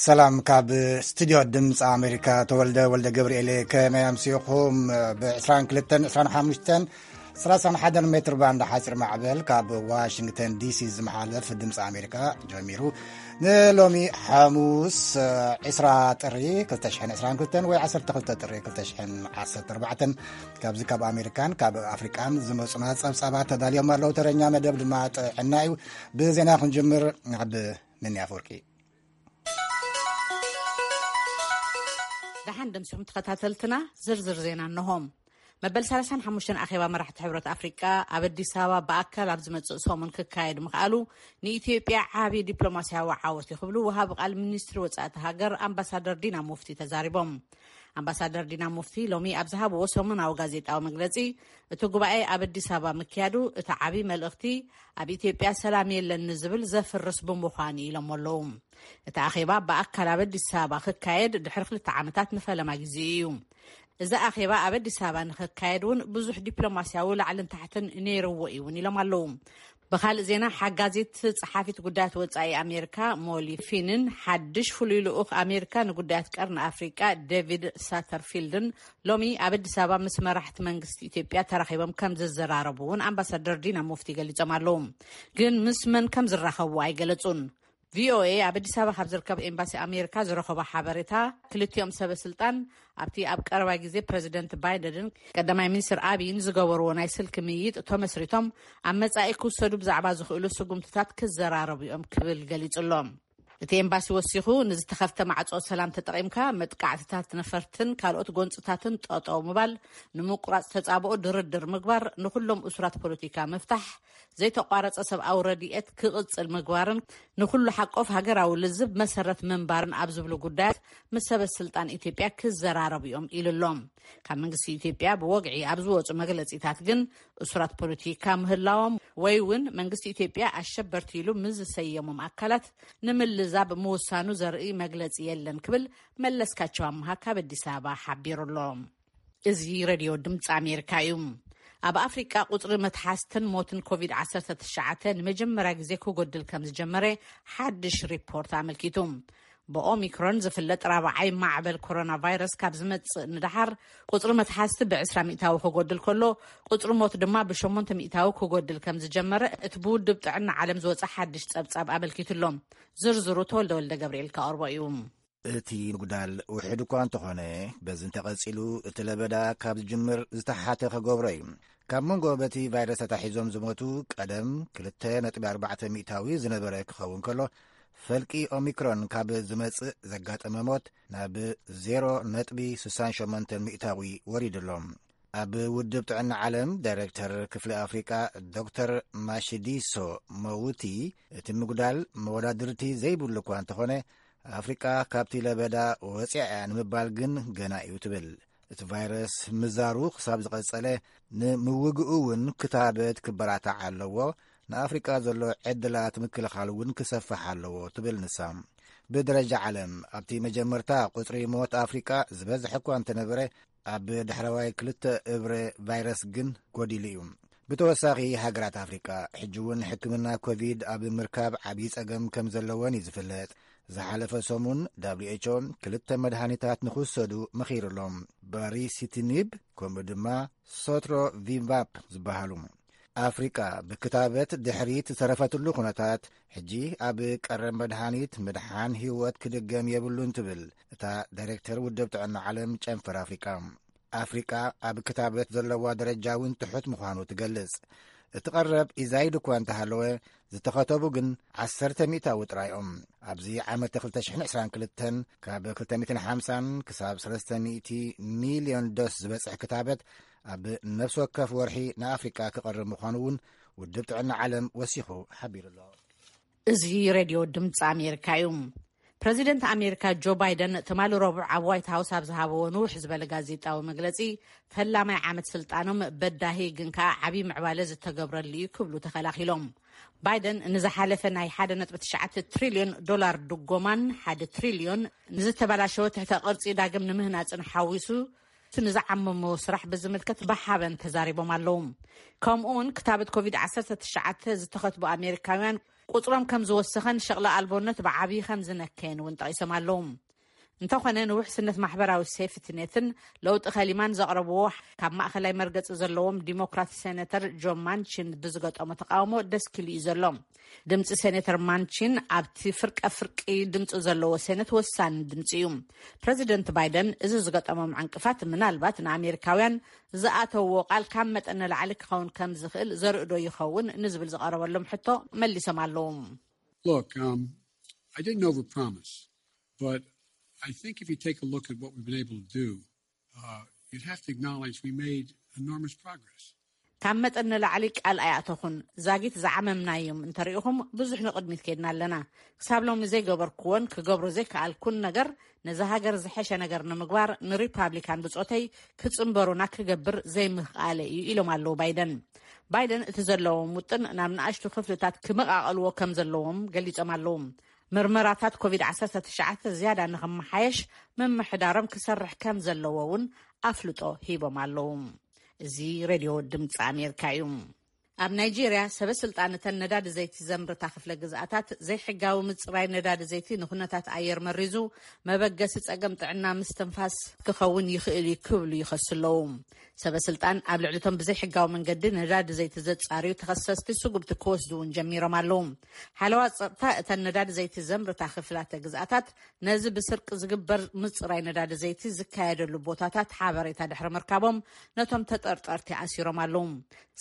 ሰላም፣ ካብ ስቱድዮ ድምፂ ኣሜሪካ ተወልደ ወልደ ገብርኤል። ከመይ ኣምሲኹም? ብ22፣ 25፣ 31 ሜትር ባንድ ሓፂር ማዕበል ካብ ዋሽንግተን ዲሲ ዝመሓለፍ ድምፂ ኣሜሪካ ጀሚሩ። ንሎሚ ሓሙስ፣ ዒስራ ጥሪ ክልተ ሽሕን ዕስራን ክልተን ወይ ዓሰርተ ክልተ ጥሪ ክልተ ሽሕን ዓሰርተ ኣርባዕተን፣ ካብዚ ካብ ኣሜሪካን ካብ ኣፍሪቃን ዝመፁና ጸብጻባት ተዳልዮም ኣለዉ። ተረኛ መደብ ድማ ጥዕና እዩ። ብዜና ክንጅምር፣ ናብ ምንያ ኣፈወርቂ። ደሓን ደምሲኹም ተኸታተልትና፣ ዝርዝር ዜና እነሆም። መበል ሰላሳን ሓሙሽተን ኣኼባ መራሕቲ ሕብረት ኣፍሪቃ ኣብ ኣዲስ ኣበባ ብኣካል ኣብ ዝመጽእ ሰሙን ክካየድ ምኽኣሉ ንኢትዮጵያ ዓቢ ዲፕሎማስያዊ ዓወት እዩ ክብሉ ወሃቢ ቃል ሚኒስትሪ ወጻእቲ ሃገር ኣምባሳደር ዲና ሙፍቲ ተዛሪቦም። ኣምባሳደር ዲና ሙፍቲ ሎሚ ኣብ ዝሃብዎ ሰሙናዊ ጋዜጣዊ መግለጺ፣ እቲ ጉባኤ ኣብ ኣዲስ ኣበባ ምክያዱ እቲ ዓቢ መልእኽቲ ኣብ ኢትዮጵያ ሰላም የለን ንዝብል ዘፍርስ ብምዃኑ ኢሎም ኣለዉ። እቲ ኣኼባ ብኣካል ኣብ ኣዲስ ኣበባ ክካየድ ድሕሪ ክልተ ዓመታት ንፈለማ ግዜ እዩ። እዚ ኣኼባ ኣብ ኣዲስ ኣበባ ንኽካየድ እውን ብዙሕ ዲፕሎማስያዊ ላዕልን ታሕትን ነይርዎ እዩ እውን ኢሎም ኣለዉ። ብኻልእ ዜና፣ ሓጋዚት ጸሓፊት ጉዳያት ወጻኢ ኣሜሪካ ሞሊ ፊንን ሓድሽ ፍሉይ ልኡኽ ኣሜሪካ ንጉዳያት ቀርኒ ኣፍሪቃ ዴቪድ ሳተርፊልድን ሎሚ ኣብ ኣዲስ ኣበባ ምስ መራሕቲ መንግስቲ ኢትዮጵያ ተራኺቦም ከም ዝዘራረቡ እውን ኣምባሳደር ዲና ሙፍቲ ገሊጾም ኣለዉ። ግን ምስ መን ከም ዝራኸቡ ኣይገለጹን። ቪኦኤ ኣብ ኣዲስ ኣበባ ካብ ዝርከብ ኤምባሲ ኣሜሪካ ዝረኸቦ ሓበሬታ፣ ክልቲኦም ሰበ ስልጣን ኣብቲ ኣብ ቀረባ ግዜ ፕረዚደንት ባይደንን ቀዳማይ ሚኒስትር ኣብይን ዝገበርዎ ናይ ስልኪ ምይይጥ ተመስሪቶም ኣብ መጻኢ ክውሰዱ ብዛዕባ ዝኽእሉ ስጉምትታት ክዘራረቡ እዮም ክብል ገሊጹ ኣሎ። እቲ ኤምባሲ ወሲኹ፣ ንዝተኸፍተ ማዕጾ ሰላም ተጠቒምካ መጥቃዕትታት ነፈርትን ካልኦት ጎንጽታትን ጠጠው ምባል፣ ንምቁራጽ ተጻብኦ ድርድር ምግባር፣ ንኹሎም እሱራት ፖለቲካ ምፍታሕ፣ ዘይተቋረጸ ሰብኣዊ ረድኤት ክቕጽል ምግባርን ንኹሉ ሓቆፍ ሃገራዊ ልዝብ መሰረት ምንባርን ኣብ ዝብሉ ጉዳያት ምስ ሰበ ስልጣን ኢትዮጵያ ክዘራረቡ እዮም ኢሉ ኣሎ። ካብ መንግስቲ ኢትዮጵያ ብወግዒ ኣብ ዝወጹ መግለጺታት ግን፣ እሱራት ፖለቲካ ምህላዎም ወይ እውን መንግስቲ ኢትዮጵያ ኣሸበርቲ ኢሉ ምስ ዝሰየሞም ኣካላት ንምልዛብ ምውሳኑ ዘርኢ መግለጺ የለን ክብል መለስካቸው ኣምሃ ካብ ኣዲስ ኣበባ ሓቢሩ ኣሎ። እዚ ሬድዮ ድምፂ ኣሜሪካ እዩ። ኣብ ኣፍሪቃ ቁፅሪ መትሓዝትን ሞትን ኮቪድ ዓሰርተ ትሽዓተ ንመጀመርያ ግዜ ክጎድል ከም ዝጀመረ ሓድሽ ሪፖርት ኣመልኪቱ። ብኦሚክሮን ዝፍለጥ ራብዓይ ማዕበል ኮሮና ቫይረስ ካብ ዝመጽእ ንደሓር፣ ቁጽሪ መትሓዝቲ ብ20% ክጎድል ከሎ፣ ቁጽሪ ሞት ድማ ብ8% ክጎድል ከም ዝጀመረ እቲ ብውድብ ጥዕና ዓለም ዝወጸ ሓድሽ ጸብጻብ ኣመልኪቱ ኣሎ። ዝርዝሩ ተወልደ ወልደ ገብርኤል ከቕርቦ እዩ። እቲ ምጉዳል ውሕድ እኳ እንተኾነ፣ በዚ እንተቐጺሉ እቲ ለበዳ ካብ ዝጅምር ዝተሓተ ክገብሮ እዩ። ካብ መንጎ በቲ ቫይረስ ተታሒዞም ዝሞቱ ቀደም ክልተ ነጥቢ ኣርባዕተ ሚእታዊ ዝነበረ ክኸውን ከሎ፣ ፈልቂ ኦሚክሮን ካብ ዝመጽእ ዘጋጠመ ሞት ናብ ዜሮ ነጥቢ ስሳን ሸሞንተን ሚእታዊ ወሪዱ ኣሎ። ኣብ ውድብ ጥዕና ዓለም ዳይሬክተር ክፍሊ ኣፍሪቃ ዶክተር ማሺዲሶ መውቲ፣ እቲ ምጉዳል መወዳድርቲ ዘይብሉ እኳ እንተኾነ፣ ኣፍሪቃ ካብቲ ለበዳ ወፂኣ እያ ንምባል ግን ገና እዩ ትብል። እቲ ቫይረስ ምዛሩ ክሳብ ዝቐጸለ፣ ንምውግኡ እውን ክታበት ክበራታዕ ኣለዎ፣ ንኣፍሪቃ ዘሎ ዕድላት ምክልኻል እውን ክሰፍሕ ኣለዎ ትብል ንሳ። ብደረጃ ዓለም፣ ኣብቲ መጀመርታ ቁጽሪ ሞት ኣፍሪቃ ዝበዝሐ እኳ እንተነበረ፣ ኣብ ዳሕረዋይ ክልተ እብረ ቫይረስ ግን ጎዲሉ እዩ። ብተወሳኺ፣ ሃገራት ኣፍሪቃ ሕጂ እውን ሕክምና ኮቪድ ኣብ ምርካብ ዓብዪ ጸገም ከም ዘለወን እዩ ዝፍለጥ። ዝሓለፈ ሰሙን፣ ደብሊው ኤች ኦ ክልተ መድሃኒታት ንኽውሰዱ መኺሩ ኣሎ። ባሪሲቲኒብ፣ ከምኡ ድማ ሶትሮቪማብ ዝበሃሉ። ኣፍሪቃ ብክታበት ድሕሪት ዝተረፈትሉ ኩነታት፣ ሕጂ ኣብ ቀረብ መድሃኒት ምድሓን ህይወት ክድገም የብሉን ትብል እታ ዳይሬክተር ውድብ ጥዕና ዓለም ጨንፈር ኣፍሪቃ። ኣፍሪቃ ኣብ ክታበት ዘለዋ ደረጃ እውን ትሑት ምዃኑ ትገልጽ። እቲ ቀረብ ኢዛይድ እኳ እንተሃለወ፣ ዝተኸተቡ ግን ዓሰርተ ሚእታዊ ጥራይ እዮም። ኣብዚ ዓመት ክልተ ሽሕን ዕስራን ክልተን ካብ ክልተ ሚእትን ሓምሳን ክሳብ ሰለስተ ሚእቲ ሚልዮን ዶስ ዝበጽሕ ክታበት ኣብ ነፍሲ ወከፍ ወርሒ ንኣፍሪቃ ክቐርብ ምዃኑ እውን ውድብ ጥዕና ዓለም ወሲኹ ሓቢሩ ኣሎ። እዚ ሬድዮ ድምፂ ኣሜሪካ እዩ። ፕረዚደንት ኣሜሪካ ጆ ባይደን ትማሊ ረቡዕ ኣብ ዋይት ሃውስ ኣብ ዝሃብዎ ንውሕ ዝበለ ጋዜጣዊ መግለጺ፣ ፈላማይ ዓመት ስልጣኖም በዳሂ ግን ከኣ ዓብዪ ምዕባለ ዝተገብረሉ እዩ ክብሉ ተኸላኺሎም። ባይደን ንዝሓለፈ ናይ ሓደ ነጥቢ ትሽዓተ ትሪልዮን ዶላር ድጎማን ሓደ ትሪልዮን ንዝተበላሸወ ትሕተ ቅርጺ ዳግም ንምህናጽን ሓዊሱ ንዝዓመሞ ስራሕ ብዝምልከት ብሓበን ተዛሪቦም ኣለዉ። ከምኡ እውን ክታበት ኮቪድ ዓሰርተ ትሽዓተ ዝተኸትቡ ኣሜሪካውያን ቁፅሮም ከም ዝወሰኸን ሸቕሊ ኣልቦነት ብዓብዪ ከም ዝነከየን እውን ጠቒሶም ኣለዉ። እንተኾነ ንውሕስነት ማሕበራዊ ሴፍትኔትን ለውጢ ከሊማን ዘቕረብዎ ካብ ማእኸላይ መርገፂ ዘለዎም ዲሞክራት ሴኔተር ጆን ማንቺን ብዝገጠሞ ተቃውሞ ደስኪሉ እዩ ዘሎ። ድምፂ ሴኔተር ማንቺን ኣብቲ ፍርቀ ፍርቂ ድምፂ ዘለዎ ሴኔት ወሳኒ ድምፂ እዩ። ፕሬዚደንት ባይደን እዚ ዝገጠሞም ዕንቅፋት ምናልባት ንኣሜሪካውያን ዝኣተውዎ ቃል ካብ መጠን ንላዕሊ ክኸውን ከም ዝኽእል ዘርእዶ ይኸውን ንዝብል ዝቐረበሎም ሕቶ መሊሶም ኣለዉ። Look, um, I didn't overpromise, but I think if you take a look at what we've been able to do, uh, you'd have to acknowledge we made enormous progress. ካብ መጠን ንላዕሊ ቃል ኣይኣተኹን። ዛጊት ዝዓመምናዮም እንተሪኢኹም ብዙሕ ንቕድሚት ከይድና ኣለና። ክሳብ ሎሚ ዘይገበርኩዎን ክገብሮ ዘይከኣልኩን ነገር ነዛ ሃገር ዝሐሸ ነገር ንምግባር ንሪፓብሊካን ብጾተይ ክጽንበሩና ክገብር ዘይምኽኣለ እዩ ኢሎም ኣለዉ ባይደን። ባይደን እቲ ዘለዎም ውጥን ናብ ንኣሽቱ ክፍልታት ክመቓቐልዎ ከም ዘለዎም ገሊጾም ኣለዉ። ምርመራታት ኮቪድ ዓሰርተ ትሽዓተ ዝያዳ ንኽመሓየሽ ምምሕዳሮም ክሰርሕ ከም ዘለዎ እውን ኣፍልጦ ሂቦም ኣለዉ። እዚ ሬድዮ ድምፂ ኣሜሪካ እዩ። ኣብ ናይጄርያ ሰበ ስልጣን እተን ነዳዲ ዘይቲ ዘምርታ ክፍለ ግዝኣታት ዘይሕጋዊ ምፅራይ ነዳዲ ዘይቲ ንኩነታት ኣየር መሪዙ መበገሲ ፀገም ጥዕና ምስትንፋስ ክኸውን ይኽእል እዩ ክብሉ ይኸሱ ኣለዉ። ሰበ ስልጣን ኣብ ልዕሊቶም ብዘይሕጋዊ መንገዲ ነዳዲ ዘይቲ ዘፃርዩ ተኸሰስቲ ስጉምቲ ክወስዱ እውን ጀሚሮም ኣለዉ። ሓለዋ ፀጥታ እተን ነዳዲ ዘይቲ ዘምርታ ክፍላተ ግዝኣታት ነዚ ብስርቂ ዝግበር ምፅራይ ነዳዲ ዘይቲ ዝካየደሉ ቦታታት ሓበሬታ ድሕሪ ምርካቦም ነቶም ተጠርጠርቲ ኣሲሮም ኣለዉ።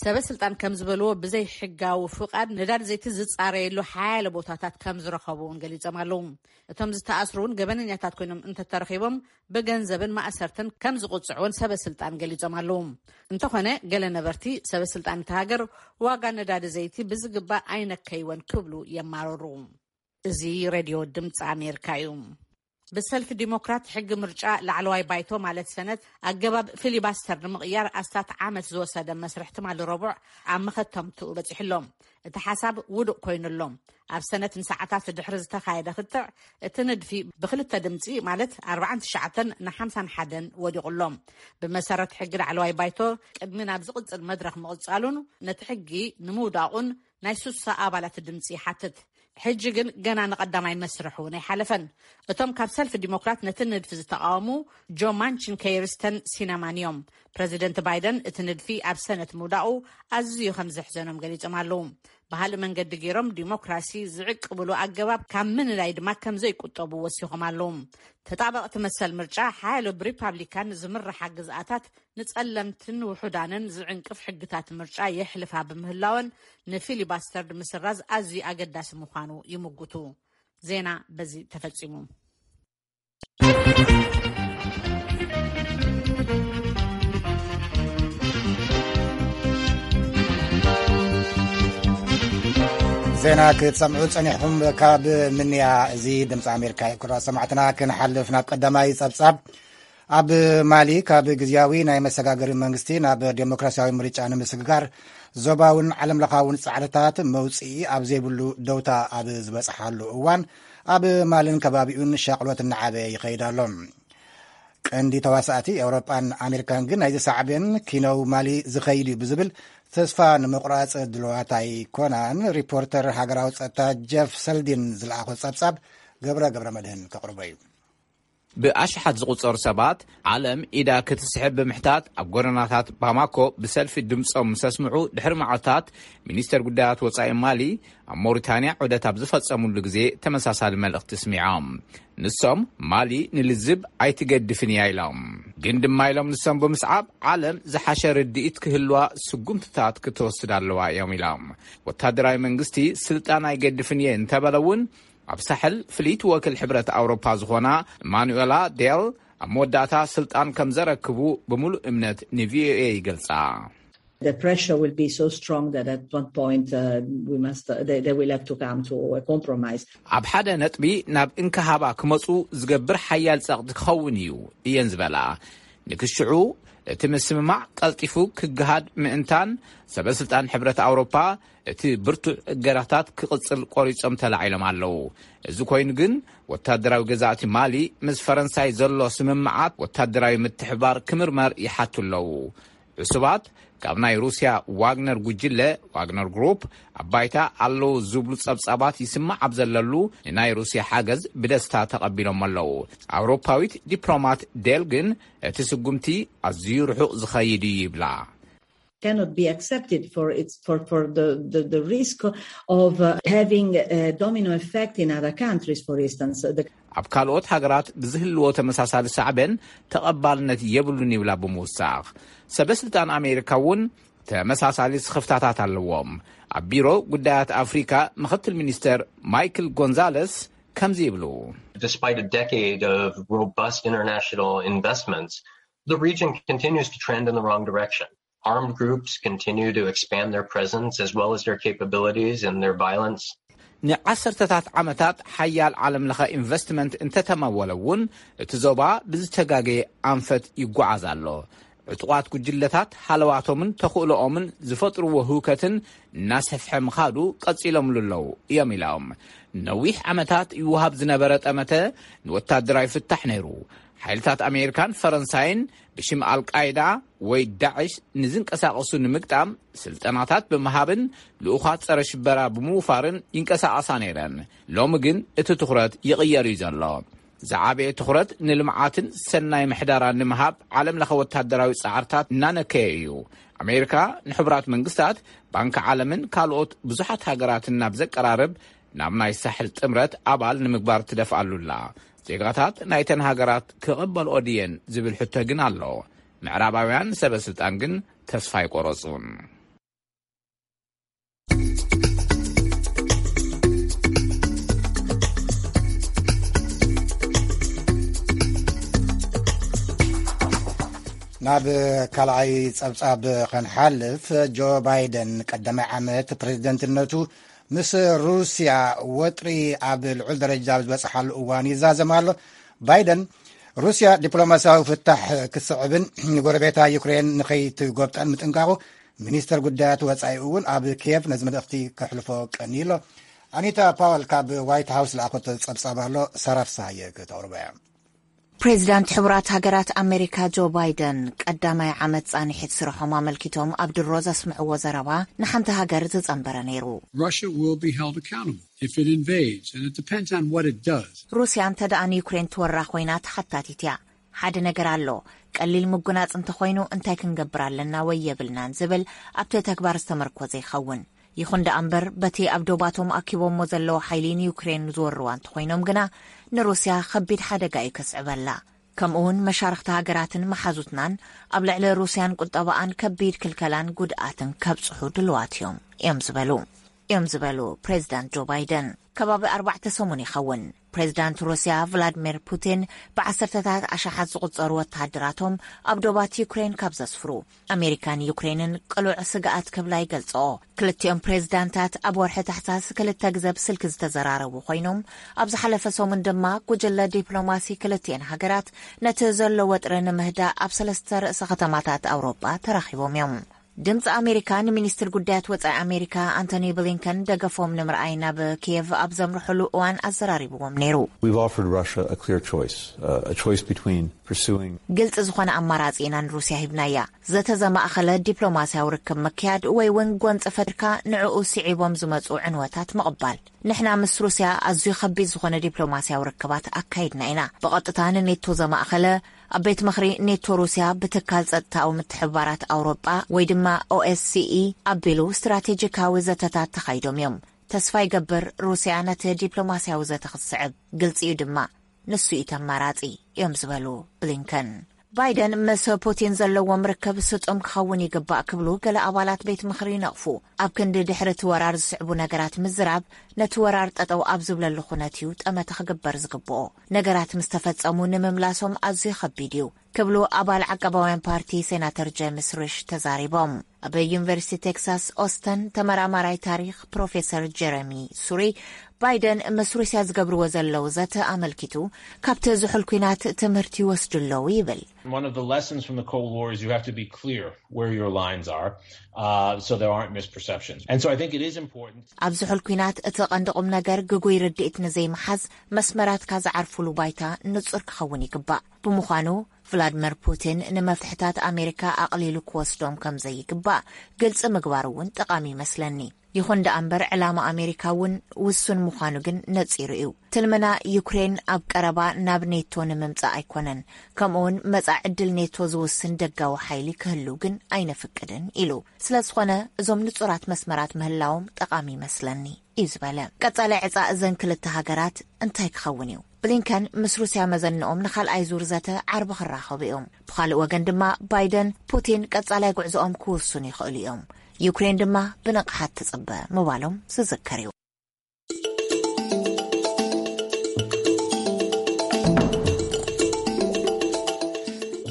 ሰበ ስልጣን ከም ዝበልዎ ብዘይ ሕጋዊ ፍቓድ ነዳዲ ዘይቲ ዝፃረየሉ ሓያለ ቦታታት ከም ዝረኸቡ እውን ገሊጾም ኣለዉ። እቶም ዝተኣስሩ እውን ገበነኛታት ኮይኖም እንተተረኺቦም ብገንዘብን ማእሰርትን ከም ዝቕፅዑ እውን ሰበ ስልጣን ገሊጾም ኣለዉ። እንተኾነ ገለ ነበርቲ ሰበ ስልጣን እቲ ሃገር ዋጋ ነዳዲ ዘይቲ ብዝግባእ ኣይነከይወን ክብሉ የማረሩ። እዚ ሬድዮ ድምፂ ኣሜሪካ እዩ። ብሰልፊ ዲሞክራት ሕጊ ምርጫ ላዕለዋይ ባይቶ ማለት ሰነት ኣገባብ ፊሊባስተር ንምቕያር ኣስታት ዓመት ዝወሰደ መስርሕ ትማሊ ረቡዕ ኣብ መኸተምትኡ በፂሑ ኣሎ። እቲ ሓሳብ ውዱቕ ኮይኑ ኣሎ። ኣብ ሰነት ንሰዓታት ድሕሪ ዝተኻየደ ክትዕ እቲ ንድፊ ብክልተ ድምፂ ማለት ኣርባዓን ትሽዓተን ንሓምሳን ሓደን ወዲቑ ኣሎ። ብመሰረት ሕጊ ላዕለዋይ ባይቶ ቅድሚ ናብ ዝቕፅል መድረኽ ምቕፃሉን ነቲ ሕጊ ንምውዳቑን ናይ ሱሳ ኣባላት ድምፂ ይሓትት። ሕጂ ግን ገና ንቐዳማይ መስርሕ እውን ኣይሓለፈን። እቶም ካብ ሰልፊ ዲሞክራት ነቲ ንድፊ ዝተቃወሙ ጆ ማንቺን ከይርስተን ሲናማን እዮም። ፕረዚደንት ባይደን እቲ ንድፊ ኣብ ሰነት ምውዳቑ ኣዝዩ ከም ዘሕዘኖም ገሊጾም ኣለዉ። ብካልእ መንገዲ ገይሮም ዲሞክራሲ ዝዕቅብሉ ኣገባብ ካብ ምንዳይ ድማ ከም ዘይቁጠቡ ወሲኾም ኣለዉ። ተጣበቕቲ መሰል ምርጫ ሓያሎ ብሪፓብሊካን ዝምርሓ ግዝኣታት ንጸለምትን ውሑዳንን ዝዕንቅፍ ሕግታት ምርጫ የሕልፋ ብምህላወን ንፊሊባስተር ንምስራዝ ኣዝዩ ኣገዳሲ ምዃኑ ይምጉቱ። ዜና በዚ ተፈጺሙ። ዜና ክትሰምዑ ጸኒሕኩም ካብ ምንያ። እዚ ድምፂ ኣሜሪካ እዩ። ክቡራት ሰማዕትና ክንሓልፍ ናብ ቀዳማይ ጸብጻብ። ኣብ ማሊ ካብ ግዝያዊ ናይ መሰጋገሪ መንግስቲ ናብ ዴሞክራሲያዊ ምርጫ ንምስግጋር ዞባውን ዓለም ለኻውን ጻዕርታት መውፅኢ ኣብ ዘይብሉ ደውታ ኣብ ዝበፅሓሉ እዋን ኣብ ማልን ከባቢኡን ሻቕሎት እናዓበየ ይኸይድ ኣሎ። ቀንዲ ተዋሳእቲ ኤውሮጳን ኣሜሪካን ግን ናይዚ ሳዕቤን ኪነው ማሊ ዝኸይድ እዩ ብዝብል ተስፋ ንምቑራፅ ድልዋት ኣይኮናን። ሪፖርተር ሃገራዊ ጸጥታ ጀፍ ሰልዲን ዝለኣኾ ጸብጻብ ገብረ ገብረ መድህን ከቕርቦ እዩ። ብኣሽሓት ዝቑጸሩ ሰባት ዓለም ኢዳ ክትስሕብ ብምሕታት ኣብ ጎደናታት ባማኮ ብሰልፊ ድምጾም ምስ ኣስምዑ ድሕሪ መዓልታት ሚኒስተር ጉዳያት ወጻኢ ማሊ ኣብ ሞሪታንያ ዑደት ኣብ ዝፈጸሙሉ ግዜ ተመሳሳሊ መልእኽቲ ስሚዖም። ንሶም ማሊ ንልዝብ ኣይትገድፍን እያ ኢሎም። ግን ድማ ኢሎም ንሶም ብምስዓብ ዓለም ዝሓሸ ርድኢት ክህልዋ ስጉምትታት ክትወስድ ኣለዋ እዮም ኢሎም። ወታደራዊ መንግስቲ ስልጣን ኣይገድፍን እየ እንተበለ እውን ኣብ ሳሕል ፍልይቲ ወክል ሕብረት ኣውሮፓ ዝኾና ማኑኤላ ዴል ኣብ መወዳእታ ስልጣን ከም ዘረክቡ ብምሉእ እምነት ን ቪኦኤ ይገልጻ። The pressure will be so strong that at one point uh, we must uh, they, they will have to come to a compromise. ኣብ ሓደ ነጥቢ ናብ እንክሃባ ክመፁ ዝገብር ሓያል ፀቕጢ ክኸውን እዩ እየን ዝበላ። ንክሽዑ እቲ ምስምማዕ ቀልጢፉ ክገሃድ ምእንታን ሰበ ስልጣን ሕብረት ኣውሮፓ እቲ ብርቱዕ እገዳታት ክቕፅል ቆሪፆም ተላዒሎም ኣለዉ። እዚ ኮይኑ ግን ወታደራዊ ገዛእቲ ማሊ ምስ ፈረንሳይ ዘሎ ስምምዓት ወታደራዊ ምትሕባር ክምርመር ይሓቱ ኣለዉ። ዕሱባት ካብ ናይ ሩስያ ዋግነር ጉጅለ፣ ዋግነር ግሩፕ፣ ኣብ ባይታ ኣለዉ ዝብሉ ጸብጻባት ይስማዕ ኣብ ዘለሉ፣ ንናይ ሩስያ ሓገዝ ብደስታ ተቐቢሎም ኣለዉ። ኣውሮፓዊት ዲፕሎማት ዴል ግን፣ እቲ ስጉምቲ ኣዝዩ ርሑቕ ዝኸይድ እዩ ይብላ። Cannot be accepted for its for for the the, the risk of uh, having a domino effect in other countries. For instance, the ኣብ ካልኦት ሃገራት ብዝህልዎ ተመሳሳሊ ሳዕበን ተቐባልነት የብሉን ይብላ ብምውሳኽ። ሰበ ስልጣን ኣሜሪካ እውን ተመሳሳሊ ስኽፍታታት ኣለዎም። ኣብ ቢሮ ጉዳያት ኣፍሪካ ምኽትል ሚኒስተር ማይክል ጎንዛለስ ከምዚ ይብሉ። Despite a decade of robust international investments, the region continues to trend in the wrong direction. Armed groups continue to expand their presence as well as their capabilities and their violence. ንዓሰርተታት ዓመታት ሓያል ዓለም ለኸ ኢንቨስትመንት እንተተመወለ እውን፣ እቲ ዞባ ብዝተጋገየ ኣንፈት ይጓዓዝ ኣሎ። ዕጡቓት ጉጅለታት ሃለዋቶምን ተኽእሎኦምን ዝፈጥርዎ ህውከትን እናሰፍሐ ምኻዱ ቀጺሎምሉ ኣለዉ እዮም ኢሎም። ነዊሕ ዓመታት ይወሃብ ዝነበረ ጠመተ ንወታደራዊ ፍታሕ ነይሩ። ሓይልታት ኣሜሪካን ፈረንሳይን ብሽም ኣልቃይዳ ወይ ዳዕሽ ንዝንቀሳቐሱ ንምግጣም ስልጠናታት ብምሃብን ልኡኻት ጸረ ሽበራ ብምውፋርን ይንቀሳቐሳ ነይረን። ሎሚ ግን እቲ ትኹረት ይቕየር እዩ ዘሎ። ዝዓበየ ትኹረት ንልምዓትን ሰናይ ምሕዳራን ንምሃብ ዓለም ለኸ ወታደራዊ ጻዕርታት እናነከየ እዩ። ኣሜሪካ ንሕቡራት መንግስታት፣ ባንኪ ዓለምን ካልኦት ብዙሓት ሃገራትን ናብ ዘቀራርብ ናብ ናይ ሳሕል ጥምረት ኣባል ንምግባር ትደፍኣሉላ። ዜጋታት ናይተን ሃገራት ክቕበልኦ ድየን ዝብል ሕቶ ግን ኣሎ። ምዕራባውያን ሰበ ስልጣን ግን ተስፋ ኣይቆረጹን። ናብ ካልኣይ ጸብጻብ ከንሓልፍ፣ ጆ ባይደን ቀዳማይ ዓመት ፕሬዝደንትነቱ ምስ ሩስያ ወጥሪ ኣብ ልዑል ደረጃ ኣብ ዝበጽሓሉ እዋን ይዛዘም ኣሎ። ባይደን ሩስያ ዲፕሎማሲያዊ ፍታሕ ክትስዕብን ንጎረቤታ ዩክሬን ንኸይትጎብጠን ምጥንቃቑ፣ ሚኒስተር ጉዳያት ወጻኢ እውን ኣብ ኪየቭ ነዚ መልእኽቲ ከሕልፎ ቀንዩ ኣሎ። ኣኒታ ፓወል ካብ ዋይት ሃውስ ዝለኣኸቶ ጸብጻብ ኣሎ፣ ሳራ ፍስሃየ ክተቕርቦ እያ። ፕሬዚዳንት ሕቡራት ሃገራት ኣሜሪካ ጆ ባይደን ቀዳማይ ዓመት ጻንሒት ስርሖም ኣመልኪቶም ኣብ ድሮ ዘስምዕዎ ዘረባ ንሓንቲ ሃገር ዝጸንበረ ነይሩ። Russia will be held accountable if it invades, and it depends on what it does. ሩስያ እንተ ደኣ ንዩክሬን ትወራ ኮይና ተሓታቲት እያ። ሓደ ነገር ኣሎ፣ ቀሊል ምጉናጽ እንተኾይኑ እንታይ ክንገብር ኣለና ወይ የብልናን ዝብል ኣብቲ ተግባር ዝተመርኮዘ ይኸውን። ይኹን ደኣ እምበር፣ በቲ ኣብ ዶባቶም ኣኪቦሞ ዘለዉ ሓይሊ ንዩክሬን ዝወርዋ እንተኾይኖም ግና፣ ንሩስያ ኸቢድ ሓደጋ እዩ ከስዕበላ። ከምኡውን መሻርኽቲ ሃገራትን መሓዙትናን ኣብ ልዕሊ ሩስያን ቁጠባኣን ከቢድ ክልከላን ጉድኣትን ከብጽሑ ድልዋት እዮም እዮም ዝበሉ እዮም ዝበሉ ፕሬዚዳንት ጆ ባይደን። ከባቢ ኣርባዕተ ሰሙን ይኸውን ፕሬዚዳንት ሩስያ ቭላድሚር ፑቲን ብዓሰርተታት ኣሽሓት ዝቑጸሩ ወተሃደራቶም ኣብ ዶባት ዩክሬን ካብ ዘስፍሩ፣ ኣሜሪካን ዩክሬንን ቅሉዕ ስግኣት ክብላ ይገልጽኦ። ክልቲኦም ፕሬዚዳንታት ኣብ ወርሒ ታሕሳስ ክልተ ግዘ ብስልኪ ዝተዘራረቡ ኮይኖም፣ ኣብ ዝሓለፈ ሰሙን ድማ ጉጅለ ዲፕሎማሲ ክልቲኤን ሃገራት ነቲ ዘሎ ወጥሪ ንምህዳእ ኣብ ሰለስተ ርእሰ ከተማታት ኣውሮጳ ተራኺቦም እዮም። ድምፂ ኣሜሪካ ንሚኒስትር ጉዳያት ወፃኢ ኣሜሪካ ኣንቶኒ ብሊንከን ደገፎም ንምርኣይ ናብ ኪየቭ ኣብ ዘምርሕሉ እዋን ኣዘራሪብዎም ነይሩ። We've offered Russia a clear choice, uh, a choice between pursuing ግልፂ ዝኾነ ኣማራፂ ኢና ንሩስያ ሂብናያ። ዘተ ዘማእኸለ ዲፕሎማስያዊ ርክብ ምክያድ ወይ እውን ጎንፂ ፈጢርካ ንዕኡ ስዒቦም ዝመፁ ዕንወታት ምቕባል። ንሕና ምስ ሩስያ ኣዝዩ ከቢድ ዝኾነ ዲፕሎማስያዊ ርክባት ኣካይድና ኢና። ብቐጥታ ንኔቶ ዘማእኸለ ኣብ ቤት ምኽሪ ኔቶ ሩስያ ብትካል ጸጥታዊ ምትሕብባራት ኣውሮጳ ወይ ድማ ኦኤስሲኢ ኣቢሉ ስትራቴጂካዊ ዘተታት ተኻይዶም እዮም። ተስፋ ይገብር ሩስያ ነቲ ዲፕሎማስያዊ ዘተ ክትስዕብ። ግልጺ እዩ ድማ፣ ንሱ እዩ ተማራጺ እዮም ዝበሉ ብሊንከን። ባይደን ምስ ፑቲን ዘለዎም ርክብ ስጡም ክኸውን ይግባእ ክብሉ ገለ ኣባላት ቤት ምኽሪ ይነቕፉ። ኣብ ክንዲ ድሕሪ እቲ ወራር ዝስዕቡ ነገራት ምዝራብ፣ ነቲ ወራር ጠጠው ኣብ ዝብለሉ ኩነት እዩ ጠመተ ክግበር ዝግብኦ። ነገራት ምስ ተፈጸሙ ንምምላሶም ኣዝዩ ከቢድ እዩ ክብሉ ኣባል ዓቃባውያን ፓርቲ ሴናተር ጄምስ ሪሽ ተዛሪቦም። ኣብ ዩኒቨርሲቲ ቴክሳስ ኦስተን ተመራማራይ ታሪኽ ፕሮፌሰር ጀረሚ ሱሪ ባይደን ምስ ሩስያ ዝገብርዎ ዘለዉ ዘተ ኣመልኪቱ ካብቲ ዝሑል ኲናት ትምህርቲ ይወስዱ ኣለዉ ይብል። One of the lessons from the Cold War is you have to be clear where your lines are, uh, so there aren't misperceptions. And so I think it is important. ኣብ ዝሑል ኲናት እቲ ቀንዲ ቁም ነገር ግጉይ ርድኢት ንዘይምሓዝ መስመራትካ ዝዓርፉሉ ባይታ ንጹር ክኸውን ይግባእ። ብምዃኑ ቭላድመር ፑቲን ንመፍትሕታት ኣሜሪካ ኣቕሊሉ ክወስዶም ከም ዘይግባእ ግልጺ ምግባር እውን ጠቓሚ ይመስለኒ። ይኹን ደኣ እምበር ዕላማ ኣሜሪካ እውን ውሱን ምዃኑ ግን ነጺሩ እዩ። ትልምና ዩክሬን ኣብ ቀረባ ናብ ኔቶ ንምምጻእ ኣይኮነን። ከምኡ እውን መጻኢ ዕድል ኔቶ ዝውስን ደጋዊ ሓይሊ ክህሉ ግን ኣይነፍቅድን ኢሉ። ስለ ዝኾነ እዞም ንጹራት መስመራት ምህላዎም ጠቓሚ ይመስለኒ እዩ ዝበለ። ቀጻሊ ዕጻ እዘን ክልተ ሃገራት እንታይ ክኸውን እዩ? ብሊንከን ምስ ሩስያ መዘንኦም ንኻልኣይ ዙር ዘተ ዓርቢ ክራኸቡ እዮም። ብኻልእ ወገን ድማ ባይደን ፑቲን ቀጻላይ ጉዕዞኦም ክውስኑ ይኽእሉ እዮም። ዩክሬን ድማ ብንቕሓት ትጽበ ምባሎም ዝዝከር እዩ።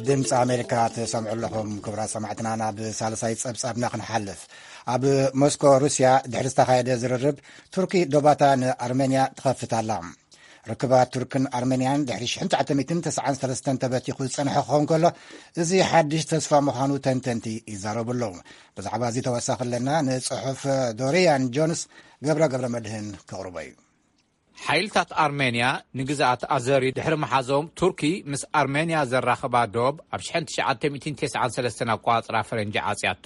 ድምፂ ኣሜሪካ ትሰምዑ ኣለኹም ክቡራት ሰማዕትና። ናብ ሳልሳይ ፀብፃብና ክንሓልፍ። ኣብ ሞስኮ ሩስያ ድሕሪ ዝተኻየደ ዝርርብ ቱርኪ ዶባታ ንኣርሜንያ ትኸፍት ኣላ። ርክባት ቱርክን ኣርሜንያን ድሕሪ ሽሕን ትሽዓተ ሚእትን ተስዓን ሰለስተን ተበቲኹ ዝጸንሐ ክኸውን ከሎ፣ እዚ ሓድሽ ተስፋ ምዃኑ ተንተንቲ ይዛረቡ ኣለዉ። ብዛዕባ እዚ ተወሳኺ ኣለና። ንጽሑፍ ዶሪያን ጆንስ ገብረ ገብረ መድህን ከቕርቦ እዩ። ሓይልታት ኣርሜንያ ንግዝኣት ኣዘሪ ድሕሪ ምሓዞም፣ ቱርኪ ምስ ኣርሜንያ ዘራኽባ ዶብ ኣብ ሽሕን ትሽዓተ ሚእትን ተስዓን ሰለስተን ኣቋጽራ ፈረንጂ ዓጽያቶ።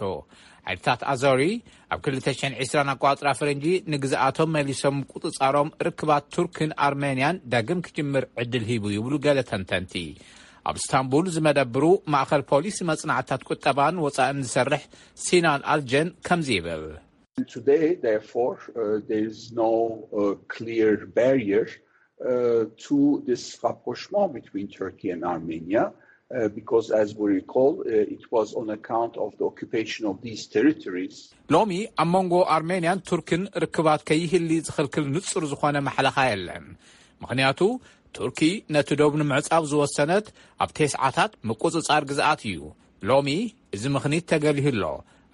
ሓይልታት ኣዘሪ ኣብ ክልተ ሽሕን ዕስራን ኣቋጽራ ፈረንጂ ንግዝኣቶም መሊሶም ምቁጽጻሮም፣ ርክባት ቱርክን ኣርሜንያን ዳግም ክጅምር ዕድል ሂቡ ይብሉ ገለ ተንተንቲ። ኣብ እስታንቡል ዝመደብሩ ማእኸል ፖሊሲ መጽናዕታት ቁጠባን ወጻእን ዝሰርሕ ሲናን ኣልጀን ከምዚ ይብል። Today, therefore, uh, there is no uh, clear barrier uh, to this rapprochement between Turkey and Armenia, uh, because, as we recall, uh, it was on account of the occupation of these territories. ሎሚ ኣብ መንጎ ኣርሜንያን ቱርክን ርክባት ከይህሊ ዝኽልክል ንጹር ዝኾነ ማሕለኻ የለን። ምኽንያቱ፣ ቱርኪ ነቲ ዶብ ንምዕጻው ዝወሰነት ኣብ ተስዓታት ምቁጽጻር ግዝኣት እዩ። ሎሚ እዚ ምኽኒት ተገሊሁ ኣሎ።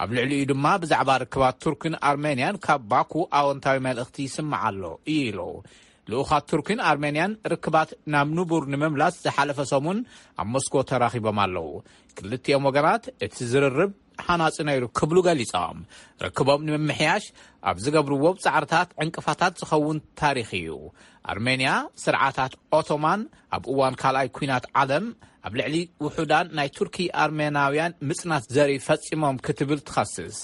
ኣብ ልዕሊኡ ድማ ብዛዕባ ርክባት ቱርክን ኣርሜንያን ካብ ባኩ ኣወንታዊ መልእኽቲ ይስማዕ ኣሎ ኢሉ። ልኡኻት ቱርክን ኣርሜንያን ርክባት ናብ ንቡር ንምምላስ ዝሓለፈ ሰሙን ኣብ ሞስኮ ተራኺቦም ኣለዉ። ክልቲኦም ወገናት እቲ ዝርርብ ሃናጺ ነይሩ ክብሉ ገሊጾም። ርክቦም ንምምሕያሽ ኣብ ዝገብርዎ ጻዕርታት ዕንቅፋታት ዝኸውን ታሪኽ እዩ። ኣርሜንያ ስርዓታት ኦቶማን ኣብ እዋን ካልኣይ ኲናት ዓለም ኣብ ልዕሊ ውሑዳን ናይ ቱርኪ ኣርሜናውያን ምጽናት ዘርኢ ፈጺሞም ክትብል ትኸስስ።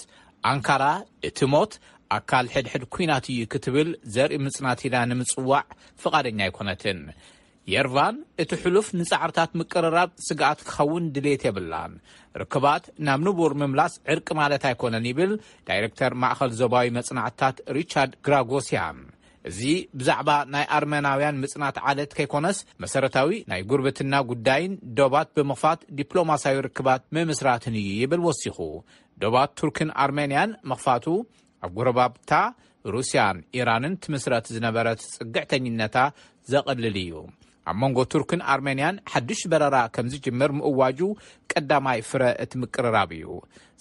ኣንካራ እቲ ሞት ኣካል ሕድሕድ ኲናት እዩ ክትብል ዘርኢ ምጽናት ኢላ ንምጽዋዕ ፍቓደኛ ኣይኮነትን። የርቫን እቲ ሕሉፍ ንጻዕርታት ምቅርራብ ስግኣት ክኸውን ድሌት የብላን። ርክባት ናብ ንቡር ምምላስ ዕርቂ ማለት ኣይኮነን ይብል ዳይረክተር ማእኸል ዞባዊ መጽናዕትታት ሪቻርድ ግራጎስያን። እዚ ብዛዕባ ናይ ኣርመናውያን ምጽናት ዓለት ከይኮነስ መሰረታዊ ናይ ጉርብትና ጉዳይን ዶባት ብምኽፋት ዲፕሎማስያዊ ርክባት ምምስራትን እዩ ይብል ወሲኹ። ዶባት ቱርክን ኣርሜንያን ምኽፋቱ ኣብ ጎረባብታ ሩስያን ኢራንን ትምስረት ዝነበረት ጽግዕተኝነታ ዘቕልል እዩ። ኣብ መንጎ ቱርክን ኣርሜንያን ሓድሽ በረራ ከም ዝጅምር ምእዋጁ ቀዳማይ ፍረ እቲ ምቅርራብ እዩ።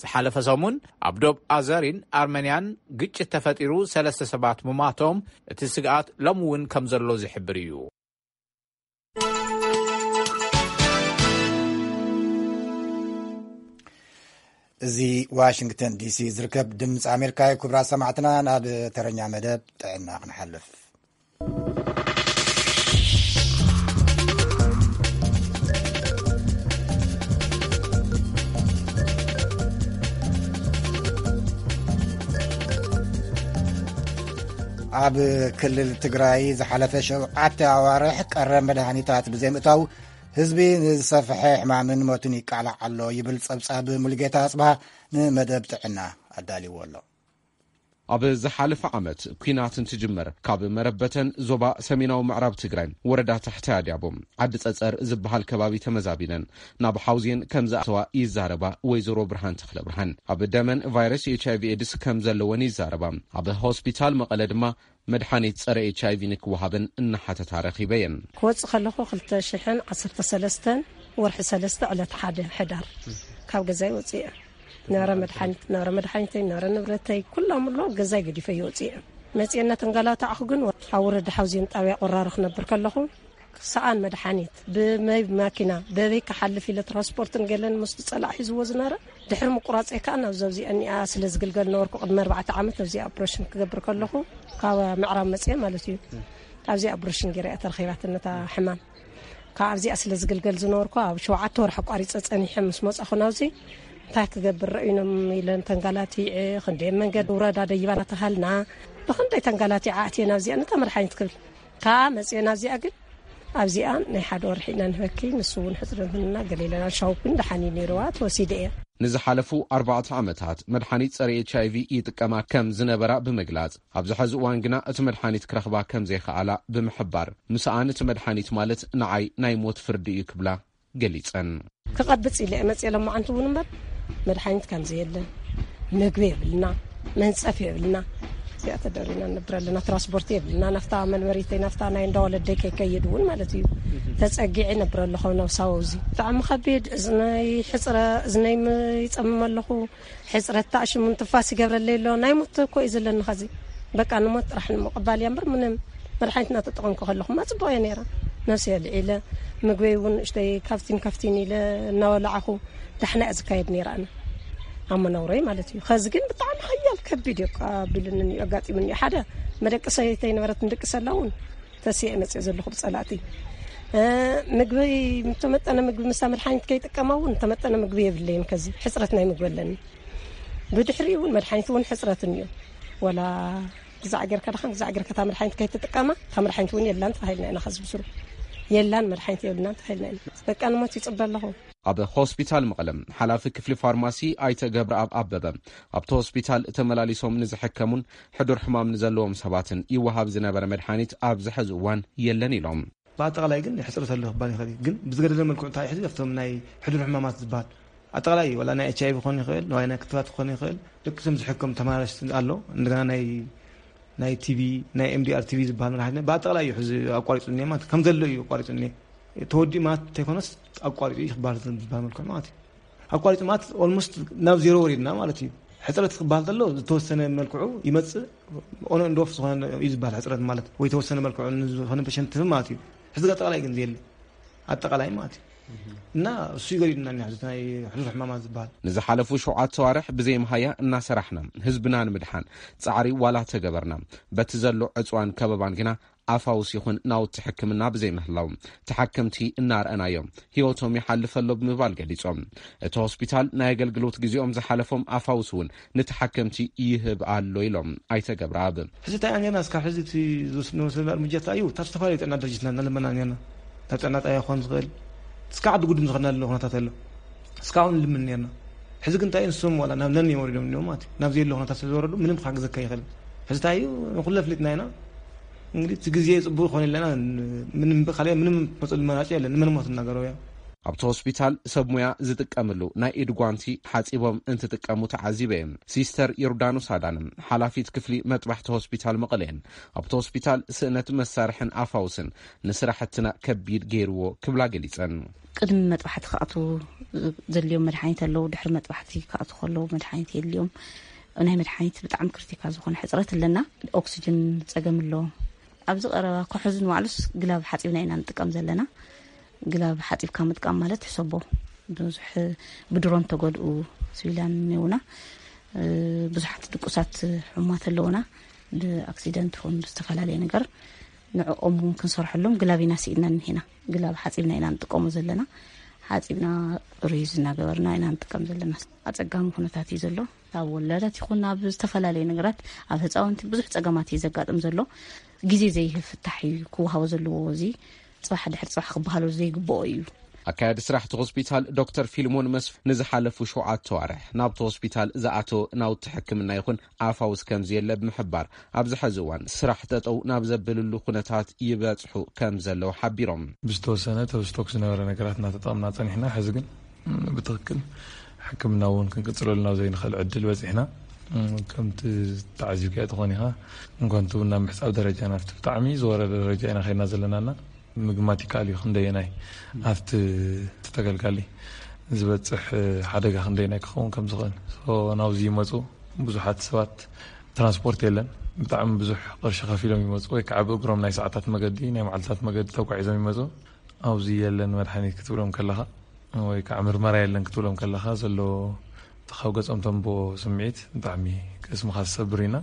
ዝሓለፈ ሰሙን ኣብ ዶብ ኣዘሪን ኣርሜንያን ግጭት ተፈጢሩ ሰለስተ ሰባት ምማቶም፣ እቲ ስግኣት ሎሚ እውን ከም ዘሎ ዝሕብር እዩ። እዚ ዋሽንግተን ዲሲ ዝርከብ ድምፂ ኣሜሪካ እዩ። ክቡራት ሰማዕትና፣ ናብ ተረኛ መደብ ጥዕና ክንሓልፍ። ኣብ ክልል ትግራይ ዝሓለፈ ሸውዓተ ኣዋርሕ ቀረብ መድሃኒታት ብዘይምእታው ህዝቢ ንዝሰፍሐ ሕማምን ሞትን ይቃላዕ ኣሎ ይብል ጸብጻብ ሙሉጌታ ኣጽብሃ ንመደብ ጥዕና ኣዳልዎ ኣሎ። ኣብ ዝሓለፈ ዓመት ኲናት እንትጅመር ካብ መረበተን ዞባ ሰሜናዊ ምዕራብ ትግራይ ወረዳ ታሕታይ ኣድያቦ ዓዲ ጸጸር ዝበሃል ከባቢ ተመዛቢነን ናብ ሓውዜን ከም ዝኣተዋ ይዛረባ ወይዘሮ ብርሃን ተኽለ ብርሃን። ኣብ ደመን ቫይረስ ኤች ኣይ ቪ ኤድስ ከም ዘለወን ይዛረባ። ኣብ ሆስፒታል መቐለ ድማ መድሓኒት ጸረ ኤች ኣይ ቪ ንክወሃበን እናሓተታ ረኺበየን። ክወጽእ ከለኹ ክልተ ሽሕን ዓሰርተ ሰለስተን ወርሒ ሰለስተ ዕለት ሓደ ሕዳር ካብ ገዛይ ወጽየ። ናረ መድሓኒት፣ ናረ መድሓኒተይ፣ ናረ ንብረተይ ኩሎም ኣሎ ገዛይ ገዲፈ ይወጽየ። መጽየ እናተንገላታዕኹ ግን ኣብ ወረዳ ሓውዜን ጣብያ ቆራሮ ክነብር ከለኹ ሰኣን መድሓኒት ብመይ ማኪና በበይ ክሓልፍ ኢለ ትራንስፖርትን ገለን ምስ ጸላእ ሒዝዎ ዝነበረ ድሕሪ ምቁራጸይ ከኣ ናብ ዘብዚኣ እኒኣ ስለ ዝግልገል ነበርኩ። ቅድሚ ኣርባዕተ ዓመት ኣብዚኣ ኦፕሬሽን ክገብር ከለኹ ካብ ምዕራብ መጽየ ማለት እዩ። ኣብዚኣ ኦፕሬሽን ገይራ እያ ተረኺባትኒ ነታ ሕማም። ካብ ኣብዚኣ ስለ ዝግልገል ዝነበርኩ ኣብ ሸውዓተ ወርሒ ኣቋሪጸ ጸኒሐ ምስ መጻኹ ናብዚ እንታይ ክገብር ረእዩኖም ኢለን ተንጋላቲዐ። ክንደይ መንገዲ ውረዳ ደይባ እናተሃልና ብኽንደይ ተንጋላቲዐ ኣትየ ናብዚኣ ነታ መድሓኒት ክብል ከኣ መጽየ ናብዚኣ ግን ኣብዚኣ ናይ ሓደ ወርሒ ኢና ንህበኪ፣ ንሱ እውን ሕጽረት ምንና ገለ ኢለና ሻውፒን ደሓን እዩ ነይርዋ፣ ተወሲደ እየ። ንዝሓለፉ ኣርባዕተ ዓመታት መድሓኒት ጸረ ኤች ኣይ ቪ ይጥቀማ ከም ዝነበራ ብምግላጽ፣ ኣብዚ ሕዚ እዋን ግና እቲ መድሓኒት ክረኽባ ከም ዘይከኣላ ብምሕባር፣ ምስኣን እቲ መድሓኒት ማለት ንዓይ ናይ ሞት ፍርዲ እዩ ክብላ ገሊጸን። ክቐብጽ ኢለ እየ መጽየ ሎማዓንቲ እውን እምበር መድሓኒት ከም ዘየለ፣ ምግቢ የብልና፣ መንጸፍ የብልና። እዚኣ ተደሪና ንነብር ኣለና። ትራንስፖርት የብልና። ናፍታ መንበሪተይ ናፍታ ናይ እንዳ ወለደይ ከይከይድ እውን ማለት እዩ። ተጸጊዐ ነብር ኣለኹ ናብ ሳውዚ። ብጣዕሚ ከቢድ እዝነይ ሕጽረ፣ እዝነይ ም-፣ ይጸምም ኣለኹ። ሕጽረት ተኣሽሙን ትንፋስ ይገብረለይ ኣሎ። ናይ ሞት እኮ እዩ ዘለኒ ኸዚ። በቃ ንሞት ጥራሕ ንምቕባል እያ እምበር ምንም መድሓኒት እናተጠቐምኩ ከለኹማ ጽቡቕ እየ ነይረ። ነብሰይ ኣልዒለ፣ ምግበይ እውን ንእሽተይ ካብቲን ካብቲን ኢለ እናበላዕኹ ዳሕና እያ ዝካየድ ነይረ ኣነ። ኣብ መነውረይ ማለት እዩ። ኸዚ ግን ብጣዕሚ ሓያል ከቢድ እዩ ኣቢሉኒ እዩ ኣጋጢሙኒ እዩ። ሓደ መደቀሲተይ ነበረት ንድቅሰላ እውን ተሲኤ መፅእ ዘለኹ ብፀላእቲ። እ፣ ምግቢ፣ ዝተመጠነ ምግቢ ምሳ መድሓኒት ከይጥቀማ እውን ዝተመጠነ ምግቢ የብለይን። ከዚ ሕፅረት ናይ ምግቢ ኣለኒ። ብድሕሪኡ እውን መድሓኒት እውን ሕፅረት እኒኦ። ወላ ግዛዕ ጌርካ ደኻን ግዛዕ ጌርካ እታ መድሓኒት ከይትጥቀማ፣ እታ መድሓኒት እውን የላን ተባሂልና ኢና። ከዚ ብስሩ የላን መድሓኒት የብልናን ተባሂልና ኢና። በቃ ንሞት ይፅበ ኣለኹ። ኣብ ሆስፒታል መቐለ ሓላፊ ክፍሊ ፋርማሲ ኣይተ ገብረኣብ ኣበበ፣ ኣብቲ ሆስፒታል ተመላሊሶም ንዝሕከሙን ሕዱር ሕማም ንዘለዎም ሰባትን ይወሃብ ዝነበረ መድሓኒት ኣብዚ ሕዚ እዋን የለን ኢሎም። ብኣጠቓላይ ግን ሕፅረት ኣሎ ክባል ይኽእል እዩ። ግን ብዝገደደ መልክዑ እንታይ ሕዚ ኣብቶም ናይ ሕዱር ሕማማት ዝበሃል ኣጠቓላይ እዩ። ዋላ ናይ ኤች ኣይ ቪ ክኾን ይኽእል፣ ዋላ ናይ ክትባት ክኾን ይኽእል። ደቂ እቶም ዝሕከም ተመላላሽ ኣሎ። እንደገና ናይ፣ ናይ ቲ ቢ፣ ናይ ኤም ዲ ኣር ቲ ቢ ዝበሃል መድሓኒት ብኣጠቓላይ እዩ ሕዚ ኣቋሪፁ እኒአ ማለት ከም ዘሎ እዩ ኣቋሪፁ እኒአ። ተወዲኡ ማለት እንተይኮነስ ኣቋሪፁ እዩ ክበሃል ዝበሃል መልክዑ ማለት እዩ። ኣቋሪፁ ማለት ኦልሞስት ናብ ዜሮ ወሪድና ማለት እዩ። ሕፅረት ክበሃል ከሎ ዝተወሰነ መልክዑ ይመፅእ፣ ኦን ኤንድ ኦፍ ዝኾነ እዩ ዝበሃል ሕፅረት ማለት፣ ወይ ተወሰነ መልክዑ ንዝኾነ ፔሸንት ትህብ ማለት እዩ። ሕዚ ኣጠቓላይ ግን ዘየለ፣ ኣጠቓላይ ማለት እዩ። እና እሱ ይገዲድና እኒኣ ሕዚ ናይ ሕዱር ሕማማት ዝበሃል። ንዝሓለፉ ሸውዓተ ኣዋርሕ ብዘይ መሃያ እናሰራሕና ህዝብና ንምድሓን ጻዕሪ ዋላ ተገበርና፣ በቲ ዘሎ ዕፅዋን ከበባን ግና ኣፋውስ ይኹን ናውቲ ሕክምና ብዘይምህላው ተሓከምቲ እናርኣናዮም ህይወቶም ይሓልፍ ኣሎ ብምባል ገሊጾም። እቲ ሆስፒታል ናይ ኣገልግሎት ግዜኦም ዝሓለፎም ኣፋውስ እውን ንተሓከምቲ ይህብ ኣሎ ኢሎም ኣይተ ገብረኣብ። ሕዚ እንታይ ኢና ነርና እስካብ ሕዚ እቲ ዝወስድና እርምጃ እንታይ እዩ? ካብ ዝተፈላለዩ ጥዕና ድርጅትና እናለመና ነርና። ናብ ጥዕና ጣብያ ክኾን ዝኽእል እስካብ ዓዲ ጉድም ዝኸድናሉ ኩነታት ኣሎ። እስካብ ንልምን ነርና። ሕዚ ግን እንታይ እዩ ንሶም ዋላ ናብ ነን እዮም ወሪዶም እኒኦም ማለት እዩ። ናብ ዘየለ ኩነታት ስለ ዝወረዱ ምንም ክሓግዘካ ኣይኽእልን። ሕዚ እንታይ እዩ ንኹሉ ኣፍሊጥና ኢና። እንግዲህ እቲ ግዜ ጽቡቕ ይኾን ኣለና ምንም ካልእ ምንም መጽሉ መራጭ የለን። ንመን ሞት እናገረው እዮም። ኣብቲ ሆስፒታል ሰብ ሙያ ዝጥቀምሉ ናይ ኢድ ጓንቲ ሓጺቦም እንትጥቀሙ ተዓዚበ እየ። ሲስተር ዮርዳኖስ ኣዳነ ሓላፊት ክፍሊ መጥባሕቲ ሆስፒታል መቐለ እየን። ኣብቲ ሆስፒታል ስእነት መሳርሕን ኣፋውስን ንስራሕትና ከቢድ ገይርዎ ክብላ ገሊጸን። ቅድሚ መጥባሕቲ ክኣትዉ ዘድልዮም መድሓኒት ኣለዉ፣ ድሕሪ መጥባሕቲ ክኣትዉ ከለዉ መድሓኒት የድልዮም። ናይ መድሓኒት ብጣዕሚ ክሪቲካል ዝኾነ ሕፅረት ኣለና። ኦክስጅን ፀገም ኣሎ። ኣብዚ ቀረባ ከሕዝን ዋዕሉስ ግላብ ሓፂብና ኢና ንጥቀም ዘለና። ግላብ ሓፂብካ ምጥቃም ማለት ሕሰቦ ብዙሕ ብድሮን ተጎድኡ ሲቪላን እኒውና፣ እ፣ ብዙሓት ድቁሳት ሕሙማት ኣለውና። ብኣክሲደንት ይኹን ብዝተፈላለየ ነገር ንዕኦም እውን ክንሰርሐሎም ግላብ ኢና ስኢንና እኒሄና። ግላብ ሓፂብና ኢና ንጥቀሞ ዘለና። ሓፂብና ሪዝ እናገበርና ኢና ንጥቀም ዘለና። ኣፀጋሚ ኩነታት እዩ ዘሎ። ኣብ ወላዳት ይኹን ኣብ ዝተፈላለዩ ነገራት፣ ኣብ ህፃውንቲ ብዙሕ ፀገማት እዩ ዘጋጥም ዘሎ። ግዜ ዘይህብ ፍታሕ እዩ ክወሃቦ ዘለዎ። እዚ ፅባሕ ድሕሪ ፅባሕ ክበሃሎ ዘይግብኦ እዩ። ኣካያዲ ስራሕ እቲ ሆስፒታል ዶክተር ፊልሞን መስፍ ንዝሓለፉ ሸውዓተ ዋርሕ ናብቲ ሆስፒታል ዝኣተወ ናውቲ ሕክምና ይኹን ኣፋውስ ከም ዘየለ ብምሕባር፣ ኣብዚ ሕዚ እዋን ስራሕ ጠጠው ናብ ዘብልሉ ኩነታት ይበጽሑ ከም ዘለዉ ሓቢሮም። ብዝተወሰነ ተብስቶክ ዝነበረ ነገራት እናተጠቐምና ጸኒሕና፣ ሕዚ ግን ብትኽክል ሕክምና እውን ክንቅጽለሉ ናብ ዘይንኽእል ዕድል በጺሕና። ከምቲ ተዓዚብካዮ ትኾን ኢኻ፣ እንኳን ትብና ምሕጻብ ደረጃ ናብቲ ብጣዕሚ ዝወረደ ደረጃ ኢና ኸይድና ዘለናና። ምግማት ይከኣል እዩ ክንደየናይ ኣብቲ ተገልጋሊ ዝበጽሕ ሓደጋ ክንደየናይ ክኸውን ከም ዝኽእል። ሶ ናብዚ ይመጹ ብዙሓት ሰባት፣ ትራንስፖርት የለን። ብጣዕሚ ብዙሕ ቅርሺ ከፊሎም ይመፁ፣ ወይ ከዓ ብእግሮም ናይ ሰዓታት መገዲ፣ ናይ መዓልታት መገዲ ተጓዒዞም ይመፁ። ኣብዚ የለን መድሓኒት ክትብሎም ከለኻ፣ ወይ ከዓ ምርመራ የለን ክትብሎም ከለኻ፣ ዘሎ እቲ ካብ ገፆም ተንብቦ ስምዒት ብጣዕሚ ቅስምኻ ዝሰብር ኢና።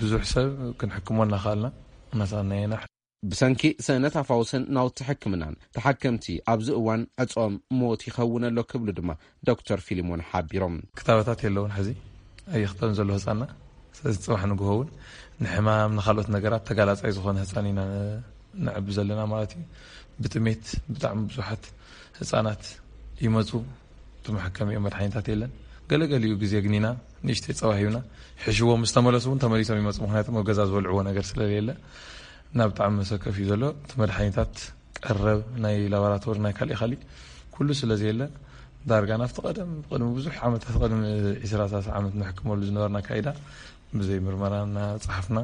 ብዙሕ ሰብ ክንሕክሞ እናኸኣልና እናሰኣናየና። ብሰንኪ ስእነት ኣፋውስን ናውቲ ሕክምናን ተሓከምቲ ኣብዚ እዋን ዕጾም ሞት ይኸውን ኣሎ ክብሉ ድማ ዶክተር ፊሊሞን ሓቢሮም። ክታበታት የለውን፣ ሕዚ ኣይኽተብን ዘሎ ህፃና። ስለዚ ፅባሕ ንግሆ እውን ንሕማም፣ ንካልኦት ነገራት ተጋላፃይ ዝኾነ ህፃን ኢና ነዕቢ ዘለና ማለት እዩ። ብጥሜት ብጣዕሚ ብዙሓት ህፃናት ይመፁ፣ እቲ መሐከሚኦም መድሓኒታት የለን። ገለገሊኡ ግዜ ግን ኢና ንእሽተይ ፀባ ሂብና፣ ሕሽዎም ምስ ተመለሱ እውን ተመሊሶም ይመፁ። ምክንያቱ ኣብ ገዛ ዝበልዕዎ ነገር ስለሌለ፣ ናብ ብጣዕሚ መሰከፍ እዩ ዘሎ። እቲ መድሓኒታት ቀረብ፣ ናይ ላቦራቶሪ፣ ናይ ካሊእ ካሊእ ኩሉ ስለ ዘየለ፣ ዳርጋ ናብቲ ቀደም፣ ቅድሚ ብዙሕ ዓመታት፣ ቅድሚ ዒስራ ሰላሳ ዓመት ንሕክመሉ ዝነበርና ካይዳ፣ ብዘይ ምርመራ እናፀሓፍና፣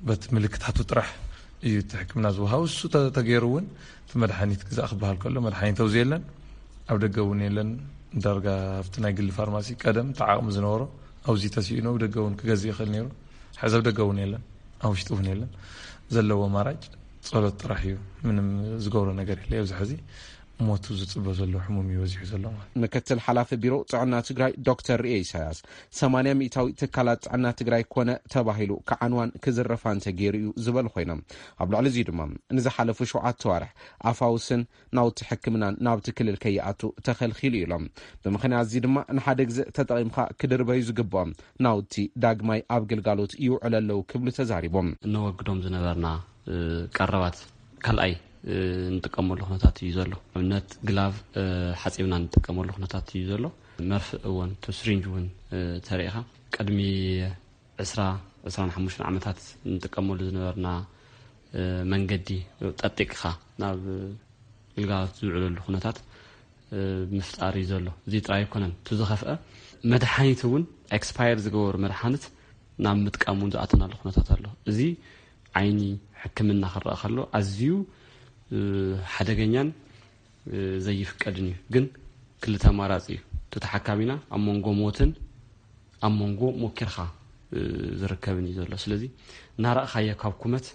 በቲ ምልክታቱ ጥራሕ እዩ እቲ ሕክምና ዝወሃብ። እሱ ተ-፣ ተገይሩ እውን እቲ መድሓኒት ግዛእ ክበሃል ከሎ፣ መድሓኒት ኣብዚ የለን፣ ኣብ ደገ እውን የለን። ዳርጋ ኣብቲ ናይ ግሊ ፋርማሲ ቀደም እቲ ዓቕሚ ዝነበሮ ኣብዚ ተሲኡ ነው፣ ደገ እውን ክገዝእ ይኽእል ነይሩ። ሕዚ ኣብ ደገ እውን የለን፣ ኣብ ውሽጢ እውን የለን። ዘለዎ ኣማራጭ ጸሎት ጥራሕ እዩ። ምንም ዝገብሮ ነገር የለ። ኣብዚ ሕዚ ሞቱ ዝጽበ ዘሎ ሕሙም እዩ በዚሑ ዘሎ ማለት። ምክትል ሓላፊ ቢሮ ጥዕና ትግራይ ዶክተር ርኤ ኢሳያስ፣ ሰማንያ ሚእታዊ ትካላት ጥዕና ትግራይ ኮነ ተባሂሉ ክዓንዋን ክዝረፋን ተገይሩ እዩ ዝበሉ ኮይኖም፣ ኣብ ልዕሊ እዚ ድማ ንዝሓለፉ ሸውዓተ ዋርሕ ኣፋውስን ናውቲ ሕክምናን ናብቲ ክልል ከይኣቱ ተኸልኪሉ ኢሎም። ብምኽንያት እዚ ድማ ንሓደ ግዜ ተጠቒምካ ክድርበዩ ዝግብኦም ናውቲ ዳግማይ ኣብ ግልጋሎት ይውዕሉ ኣለዉ ክብሉ ተዛሪቦም። እነወግዶም ዝነበርና፣ እ፣ ቀረባት ካልኣይ፣ እ፣ እንጥቀመሉ ኩነታት እዩ ዘሎ። ኣብነት ግላቭ፣ እ፣ ሓጺብና እንጥቀመሉ ኩነታት እዩ ዘሎ። መርፍእ እውን፣ እቲ ስሪንጅ እውን፣ እ፣ ተሪኢኻ ቅድሚ ዕስራ፣ ዕስራን ሓሙሽተን ዓመታት እንጥቀመሉ ዝነበርና፣ እ፣ መንገዲ ጠጢቅኻ ናብ ግልጋሎት ዝውዕለሉ ኩነታት፣ እ፣ ምፍጣር እዩ ዘሎ። እዚ ጥራይ ኣይኮነን። እቲ ዝኸፍአ መድሓኒት እውን ኤክስፓየር ዝገበሩ መድሓኒት ናብ ምጥቃም እውን ዝኣተናሉ ኩነታት ኣሎ። እዚ ዓይኒ ሕክምና ክረኣ ከሎ ኣዝዩ፣ እ፣ ሓደገኛን፣ እ፣ ዘይፍቀድን እዩ። ግን ክልተ ኣማራፂ እዩ። እቲ ተሓካሚና ኣብ መንጎ ሞትን ኣብ መንጎ ሞኪርካ፣ እ፣ ዝርከብን እዩ ዘሎ። ስለዚ እናረእኻዮ ካብ ኩመት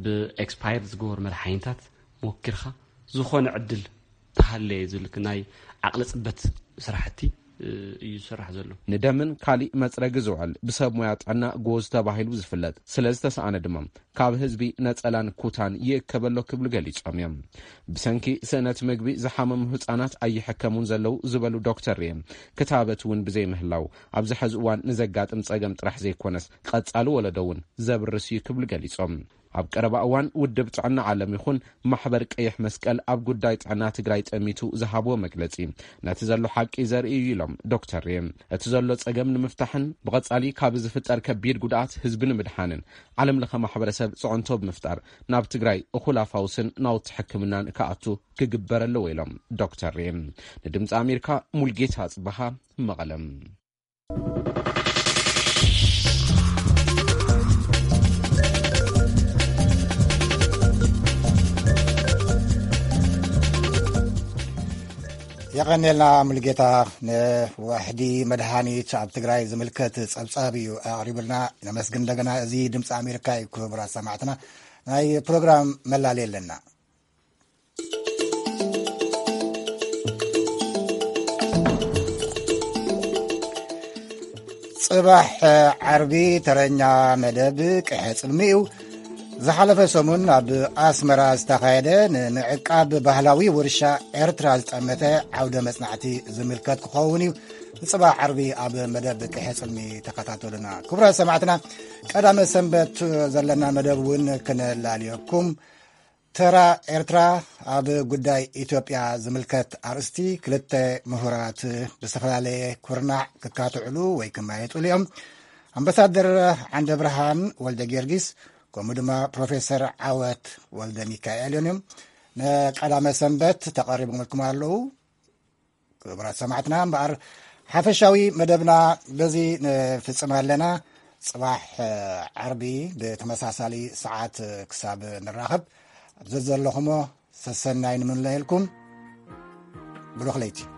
ብኤክስፓየር ዝገበሩ መድሓኒታት ሞኪርካ ዝኾነ ዕድል ተሃለየ ዝብል ናይ ዓቕሊ ፅበት ስራሕቲ፣ እ፣ እዩ ዝስራሕ ዘሎ። ንደምን ካሊእ መፅረጊ ዝውዕል ብሰብ ሞያ ጥዕና ጎዝ ተባሂሉ ዝፍለጥ ስለ ዝተሰኣነ ድማ ካብ ህዝቢ ነፀላን ኩታን ይእከበሎ ክብሉ ገሊፆም እዮም። ብሰንኪ ስእነት ምግቢ ዝሓመሙ ህፃናት ኣይሕከሙን ዘለዉ ዝበሉ ዶክተር ርኤ፣ ክታበት እውን ብዘይምህላው ኣብዚ ሕዚ እዋን ንዘጋጥም ፀገም ጥራሕ ዘይኮነስ ቀፃሊ ወለዶ እውን ዘብርስ እዩ ክብሉ ገሊፆም። ኣብ ቀረባ እዋን ውድብ ጥዕና ዓለም ይኹን ማሕበር ቀይሕ መስቀል ኣብ ጉዳይ ጥዕና ትግራይ ጠሚቱ ዝሃብዎ መግለፂ ነቲ ዘሎ ሓቂ ዘርኢ እዩ ኢሎም ዶክተር ርኤ። እቲ ዘሎ ፀገም ንምፍታሕን ብቐፃሊ ካብ ዝፍጠር ከቢድ ጉድኣት ህዝቢ ንምድሓንን ዓለም ለኸ ማሕበረሰብ ፅዕንቶ ብምፍጣር ናብ ትግራይ እኹል ኣፋውስን ናውቲ ሕክምናን ክኣቱ ክግበር ኣለዎ ኢሎም ዶክተር ርኤ። ንድምፂ ኣሜሪካ ሙልጌታ ኣፅበሃ መቐለም። የቐንየልና ሙሉጌታ። ንዋሕዲ መድሃኒት ኣብ ትግራይ ዝምልከት ጸብጻብ እዩ ኣቕሪቡልና። ነመስግን እንደገና። እዚ ድምፂ ኣሜሪካ እዩ። ክቡራት ሰማዕትና፣ ናይ ፕሮግራም መላለይ ኣለና። ጽባሕ ዓርቢ ተረኛ መደብ ቅሐ ጽልሚ እዩ። ዝሓለፈ ሰሙን ኣብ ኣስመራ ዝተኻየደ ንምዕቃብ ባህላዊ ውርሻ ኤርትራ ዝጠመተ ዓውደ መጽናዕቲ ዝምልከት ክኸውን እዩ። ጽባሕ ዓርቢ ኣብ መደብ ቅሐ ጽልሚ ተኸታተሉና። ክቡራት ሰማዕትና፣ ቀዳመ ሰንበት ዘለና መደብ እውን ክነላልየኩም። ተራ ኤርትራ ኣብ ጉዳይ ኢትዮጵያ ዝምልከት ኣርእስቲ ክልተ ምሁራት ብዝተፈላለየ ኩርናዕ ክካትዕሉ ወይ ክመያየጡሉ እዮም። ኣምባሳደር ዓንደብርሃን ወልደ ጊዮርጊስ ከምኡ ድማ ፕሮፌሰር ዓወት ወልደ ሚካኤል እዮም። ንቀዳመ ሰንበት ተቐሪቦምልኩም ኣለዉ። ክቡራት ሰማዕትና፣ እምበኣር ሓፈሻዊ መደብና በዚ ንፍጽም ኣለና። ጽባሕ ዓርቢ ብተመሳሳሊ ሰዓት ክሳብ ንራኸብ፣ ኣብ ዘዘለኹሞ ሰሰናይ ንምንለየልኩም። ብሩኽ ለይቲ።